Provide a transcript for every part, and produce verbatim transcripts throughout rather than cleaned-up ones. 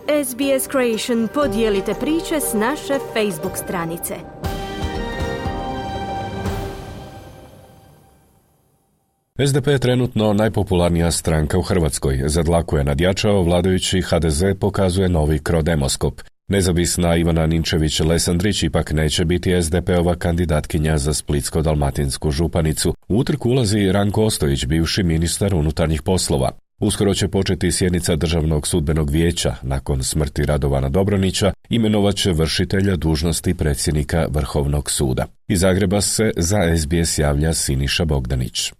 S B S Creation podijelite priče s naše Facebook stranice. S D P je trenutno najpopularnija stranka u Hrvatskoj. Za dlaku je nadjačao, vladajući H D Z pokazuje novi krodemoskop. Nezavisna Ivana Ninčević-Lesandrić ipak neće biti S D P-ova kandidatkinja za splitsko-dalmatinsku županicu. U utrku ulazi Ranko Ostojić, bivši ministar unutarnjih poslova. Uskoro će početi sjednica Državnog sudbenog vijeća. Nakon smrti Radovana Dobronića imenovat će vršitelja dužnosti predsjednika Vrhovnog suda. Iz Zagreba se za S B S javlja Siniša Bogdanić.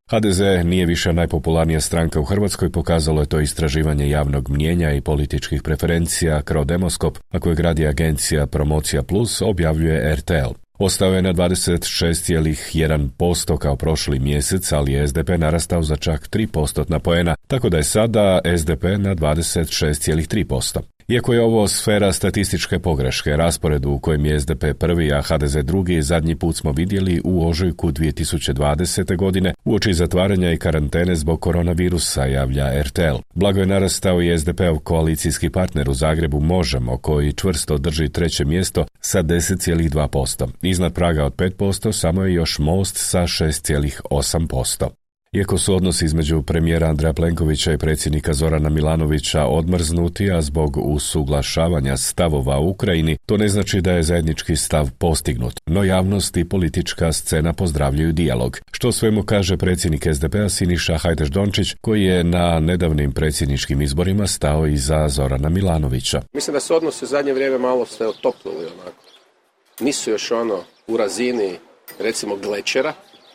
H D Z nije više najpopularnija stranka u Hrvatskoj, pokazalo je to istraživanje javnog mnijenja i političkih preferencija Krodemoskop, a koje gradi agencija Promocija Plus, objavljuje R T L. Ostao je na dvadeset šest zarez jedan posto kao prošli mjesec, ali je S D P narastao za čak tri postotna poena, tako da je sada S D P na dvadeset šest zarez tri posto. Iako je ovo sfera statističke pogreške, rasporedu u kojem je S D P prvi, a H D Z drugi, zadnji put smo vidjeli u ožujku dvije tisuće dvadesete. godine uoči zatvaranja i karantene zbog koronavirusa, javlja R T L. Blago je narastao i S D P-ov koalicijski partner u Zagrebu Možemo, koji čvrsto drži treće mjesto sa deset zarez dva posto. Iznad praga od pet posto samo je još Most sa šest zarez osam posto. Iako su odnosi između premijera Andreja Plenkovića i predsjednika Zorana Milanovića odmrznuti, a zbog usuglašavanja stavova u Ukrajini, to ne znači da je zajednički stav postignut. No javnost i politička scena pozdravljaju dijalog. Što svemu kaže predsjednik S D P-a Siniša Hajdaš-Dončić, koji je na nedavnim predsjedničkim izborima stao iza Zorana Milanovića. Mislim da se odnosi u zadnje vrijeme malo se otoplili onako. Nisu još ono u razini, recimo, glečera,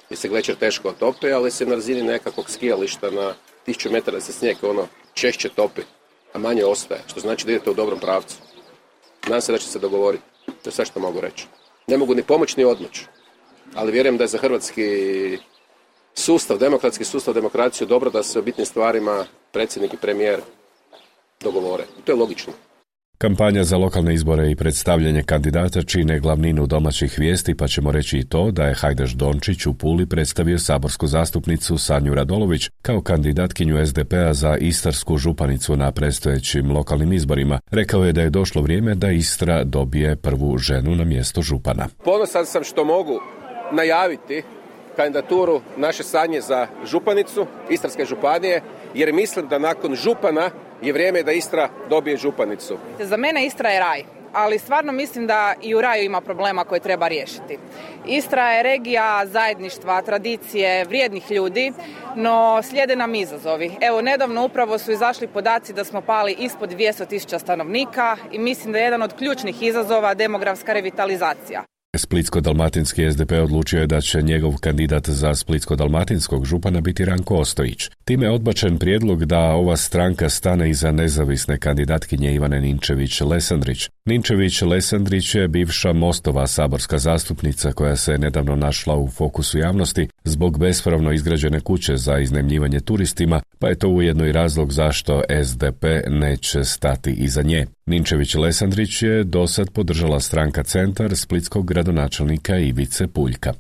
gdje se glečer teško otopi, ali se na razini nekakvog skijališta na tisuću metara se snijeg ono češće topi, a manje ostaje, što znači da idete u dobrom pravcu. Nadam se da će se dogovoriti. To je sve što mogu reći. Ne mogu ni pomoć ni odmoć, ali vjerujem da je za hrvatski sustav, demokratski sustav, demokraciju dobro da se o bitnim stvarima predsjednik i premijer dogovore. To je logično. Kampanja za lokalne izbore i predstavljanje kandidata čine glavninu domaćih vijesti, pa ćemo reći i to da je Hajdaš-Dončić u Puli predstavio saborsku zastupnicu Sanju Radolović kao kandidatkinju S D P-a za istarsku županicu na predstojećim lokalnim izborima. Rekao je da je došlo vrijeme da Istra dobije prvu ženu na mjesto župana. Ponosan sam što mogu najaviti kandidaturu naše Sanje za županicu Istarske županije, jer mislim da nakon župana je vrijeme da Istra dobije županicu. Za mene Istra je raj, ali stvarno mislim da i u raju ima problema koje treba riješiti. Istra je regija zajedništva, tradicije, vrijednih ljudi, no slijede nam izazovi. Evo, nedavno upravo su izašli podaci da smo pali ispod dvjesto tisuća stanovnika i mislim da je jedan od ključnih izazova demografska revitalizacija. Splitsko-dalmatinski S D P odlučio je da će njegov kandidat za splitsko-dalmatinskog župana biti Ranko Ostojić. Time je odbačen prijedlog da ova stranka stane iza nezavisne kandidatkinje Ivane Ninčević-Lesandrić. Ninčević-Lesandrić je bivša Mostova saborska zastupnica koja se nedavno našla u fokusu javnosti zbog bespravno izgrađene kuće za iznajmljivanje turistima, pa je to ujedno i razlog zašto S D P neće stati iza nje. Ninčević-Lesandrić je dosad podržala stranka Centar splitskog gradonačelnika Ivice Puljka.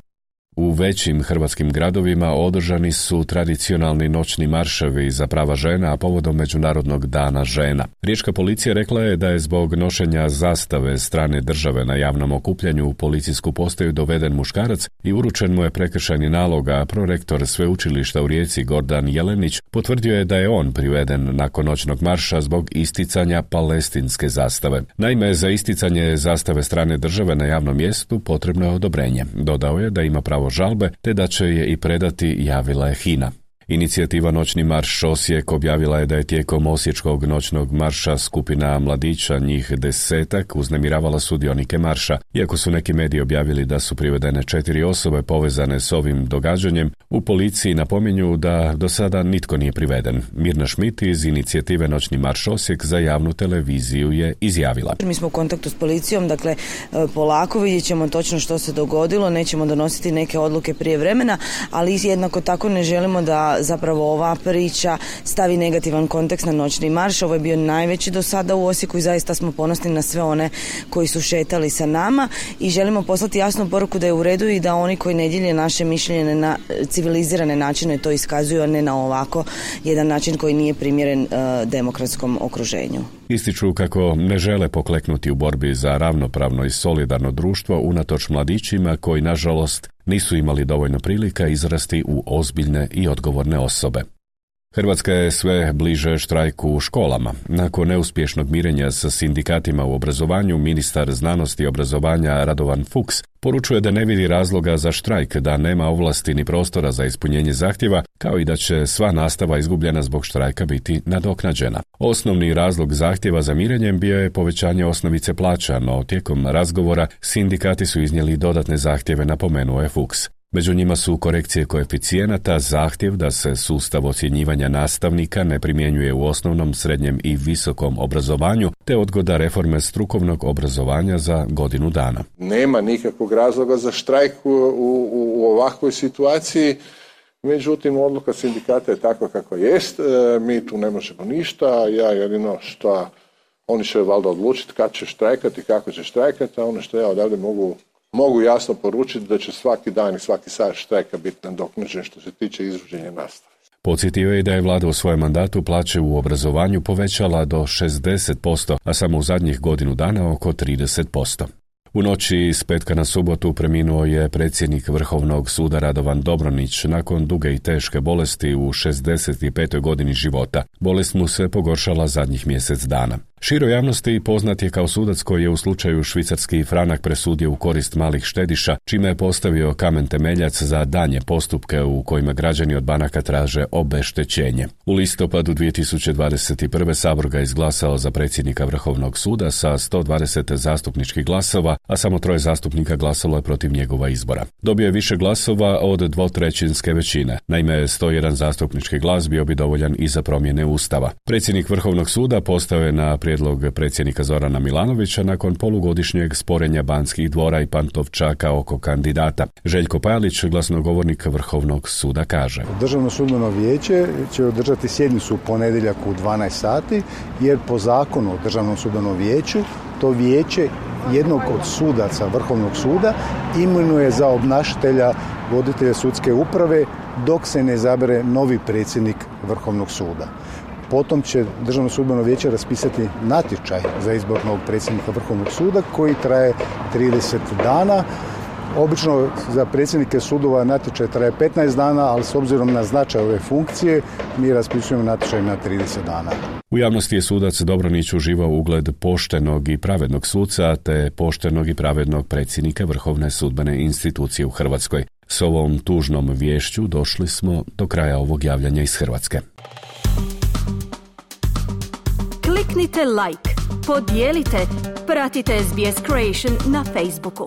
U većim hrvatskim gradovima održani su tradicionalni noćni marševi za prava žena, a povodom Međunarodnog dana žena. Riječka policija rekla je da je zbog nošenja zastave strane države na javnom okupljanju u policijsku postaju doveden muškarac i uručen mu je prekršajni nalog, a prorektor sveučilišta u Rijeci Gordan Jelenić potvrdio je da je on priveden nakon noćnog marša zbog isticanja palestinske zastave. Naime, za isticanje zastave strane države na javnom mjestu potrebno je odobrenje. Dodao je da ima pravo žalbe, te da će je i predati, javila je Hina. Inicijativa Noćni marš Osijek objavila je da je tijekom osječkog noćnog marša skupina mladića, njih desetak, uznemiravala sudionike marša. Iako su neki mediji objavili da su privedene četiri osobe povezane s ovim događanjem, u policiji napominju da do sada nitko nije priveden. Mirna Šmit iz inicijative Noćni marš Osijek za javnu televiziju je izjavila. Mi smo u kontaktu s policijom, dakle polako vidjet ćemo točno što se dogodilo, nećemo donositi neke odluke prije vremena, ali jednako tako ne želimo da da zapravo ova priča stavi negativan kontekst na noćni marš. Ovo je bio najveći do sada u Osijeku i zaista smo ponosni na sve one koji su šetali sa nama i želimo poslati jasnu poruku da je u redu i da oni koji ne dijele naše mišljenje na civilizirane načine to iskazuju, a ne na ovako jedan način koji nije primjeren uh, demokratskom okruženju. Ističu kako ne žele pokleknuti u borbi za ravnopravno i solidarno društvo unatoč mladićima koji, nažalost, nisu imali dovoljno prilika izrasti u ozbiljne i odgovorne osobe. Hrvatska je sve bliže štrajku u školama. Nakon neuspješnog mirenja sa sindikatima u obrazovanju, ministar znanosti i obrazovanja Radovan Fuchs poručuje da ne vidi razloga za štrajk, da nema ovlasti ni prostora za ispunjenje zahtjeva, kao i da će sva nastava izgubljena zbog štrajka biti nadoknađena. Osnovni razlog zahtjeva za mirenjem bio je povećanje osnovice plaća, no tijekom razgovora sindikati su iznijeli dodatne zahtjeve, napomenuo je Fuchs. Među njima su korekcije koeficijenata, zahtjev da se sustav ocjenjivanja nastavnika ne primjenjuje u osnovnom, srednjem i visokom obrazovanju, te odgoda reforme strukovnog obrazovanja za godinu dana. Nema nikakvog razloga za štrajk u, u, u ovakvoj situaciji, međutim odluka sindikata je takva kako jest, e, mi tu ne možemo ništa, ja jedino što oni će valjda odlučiti kad će štrajkati i kako će štrajkati, a ono što ja odavde mogu Mogu jasno poručiti da će svaki dan i svaki sat štrajka biti nadoknađen što se tiče izvođenja nastave. Podsjetio je da je vlada u svojem mandatu plaće u obrazovanju povećala do šezdeset posto, a samo u zadnjih godinu dana oko trideset posto. U noći s petka na subotu preminuo je predsjednik Vrhovnog suda Radovan Dobronić nakon duge i teške bolesti u šezdeset petoj godini života. Bolest mu se pogoršala zadnjih mjesec dana. Široj javnosti poznat je kao sudac koji je u slučaju švicarski franak presudio u korist malih štediša, čime je postavio kamen temeljac za daljnje postupke u kojima građani od banaka traže obeštećenje. U listopadu dvije tisuće dvadeset prve. Sabor ga izglasao za predsjednika Vrhovnog suda sa sto dvadeset zastupničkih glasova, a samo troje zastupnika glasalo je protiv njegova izbora. Dobio je više glasova od dvotrećinske većine. Naime, sto jedan zastupnički glas bio bi dovoljan i za promjene Ustava. Predsjednik Vrhovnog suda postao je na prijedlog predsjednika Zorana Milanovića nakon polugodišnjeg sporenja Banskih dvora i Pantovčaka oko kandidata. Željko Pajalić, glasnogovornik Vrhovnog suda, kaže: Državno sudbeno vijeće će održati sjednicu u ponedjeljak u dvanaest sati, jer po zakonu o Državnom sudbenom vijeću to vijeće jednog od sudaca Vrhovnog suda imenuje za obnašatelja voditelja sudske uprave dok se ne izabere novi predsjednik Vrhovnog suda. Potom će Državno sudbeno vijeće raspisati natječaj za izbor novog predsjednika Vrhovnog suda koji traje trideset dana. Obično za predsjednike sudova natječaj traje petnaest dana, ali s obzirom na značaj ove funkcije mi raspisujemo natječaj na trideset dana. U javnosti je sudac Dobronić uživao ugled poštenog i pravednog suca te poštenog i pravednog predsjednika Vrhovne sudbene institucije u Hrvatskoj. S ovom tužnom viješću došli smo do kraja ovog javljanja iz Hrvatske. Kliknite like, podijelite, pratite S B S Creation na Facebooku.